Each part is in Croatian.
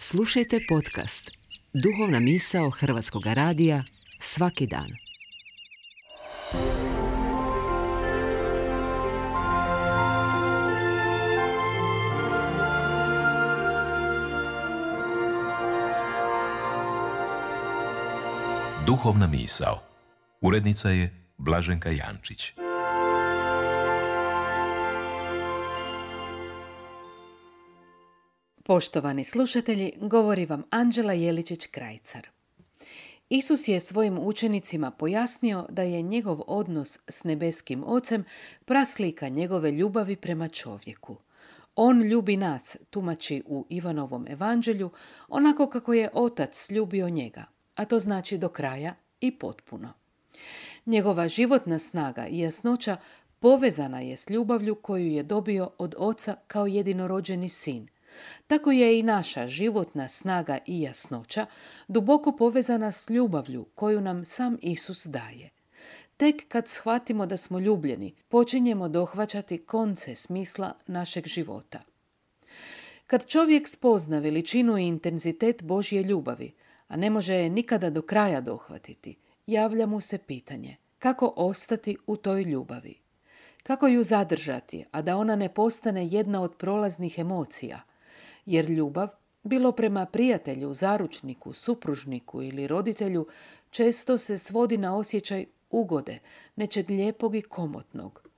Slušajte podcast Duhovna misao Hrvatskog radija svaki dan. Duhovna misao. Urednica je Blaženka Jančić. Poštovani slušatelji, govori vam Anđela Jeličić-Krajcar. Isus je svojim učenicima pojasnio da je njegov odnos s nebeskim Ocem praslika njegove ljubavi prema čovjeku. On ljubi nas, tumači u Ivanovom evanđelju, onako kako je Otac ljubio njega, a to znači do kraja i potpuno. Njegova životna snaga i jasnoća povezana je s ljubavlju koju je dobio od Oca kao jedinorođeni sin. Tako je i naša životna snaga i jasnoća duboko povezana s ljubavlju koju nam sam Isus daje. Tek kad shvatimo da smo ljubljeni, počinjemo dohvaćati konce smisla našeg života. Kad čovjek spozna veličinu i intenzitet Božje ljubavi, a ne može je nikada do kraja dohvatiti, javlja mu se pitanje kako ostati u toj ljubavi. Kako ju zadržati, a da ona ne postane jedna od prolaznih emocija, jer ljubav, bilo prema prijatelju, zaručniku, supružniku ili roditelju, često se svodi na osjećaj ugode, nečeg lijepog i komotnog.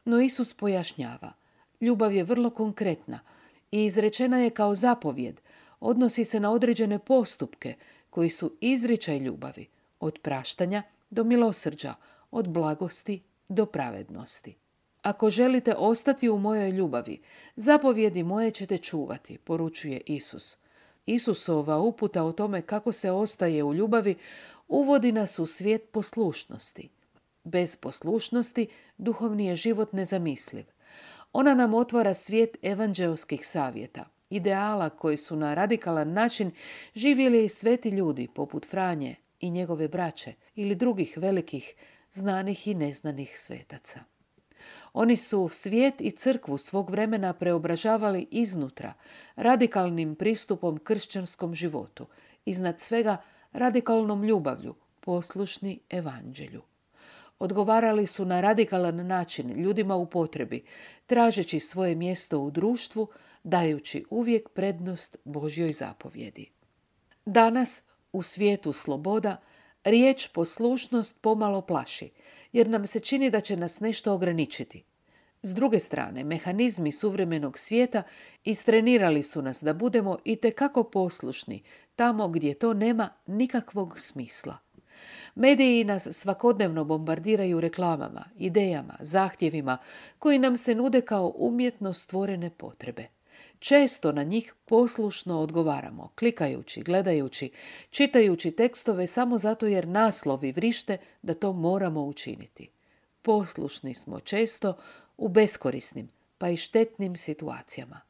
No Isus pojašnjava, ljubav je vrlo konkretna i izrečena je kao zapovjed, odnosi se na određene postupke koji su izričaj ljubavi, od praštanja do milosrđa, od blagosti do pravednosti. Ako želite ostati u mojoj ljubavi, zapovjedi moje ćete čuvati, poručuje Isus. Isusova uputa o tome kako se ostaje u ljubavi uvodi nas u svijet poslušnosti. Bez poslušnosti duhovni je život nezamisliv. Ona nam otvara svijet evanđeoskih savjeta, ideala koji su na radikalan način živjeli i sveti ljudi poput Franje i njegove braće ili drugih velikih, znanih i neznanih svetaca. Oni su svijet i crkvu svog vremena preobražavali iznutra, radikalnim pristupom kršćanskom životu, iznad svega radikalnom ljubavlju, poslušni evanđelju. Odgovarali su na radikalan način ljudima u potrebi, tražeći svoje mjesto u društvu, dajući uvijek prednost Božjoj zapovjedi. Danas, u svijetu sloboda, riječ poslušnost pomalo plaši, jer nam se čini da će nas nešto ograničiti. S druge strane, mehanizmi suvremenog svijeta istrenirali su nas da budemo itekako poslušni tamo gdje to nema nikakvog smisla. Mediji nas svakodnevno bombardiraju reklamama, idejama, zahtjevima koji nam se nude kao umjetno stvorene potrebe. Često na njih poslušno odgovaramo, klikajući, gledajući, čitajući tekstove samo zato jer naslovi vrište da to moramo učiniti. Poslušni smo često u beskorisnim, pa i štetnim situacijama.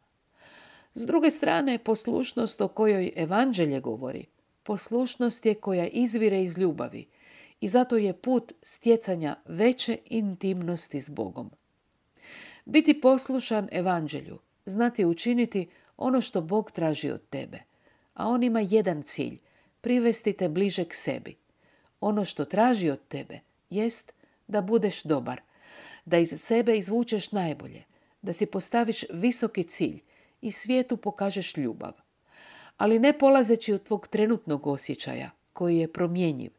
S druge strane, poslušnost o kojoj evanđelje govori, poslušnost je koja izvire iz ljubavi i zato je put stjecanja veće intimnosti s Bogom. Biti poslušan evanđelju, znati učiniti ono što Bog traži od tebe, a on ima jedan cilj, privesti te bliže k sebi. Ono što traži od tebe jest da budeš dobar, da iz sebe izvučeš najbolje, da si postaviš visoki cilj i svijetu pokažeš ljubav. Ali ne polazeći od tvog trenutnog osjećaja, koji je promjenjiv,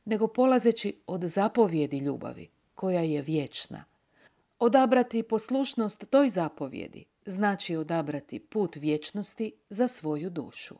nego polazeći od zapovjedi ljubavi, koja je vječna. Odabrati poslušnost toj zapovjedi znači odabrati put vječnosti za svoju dušu.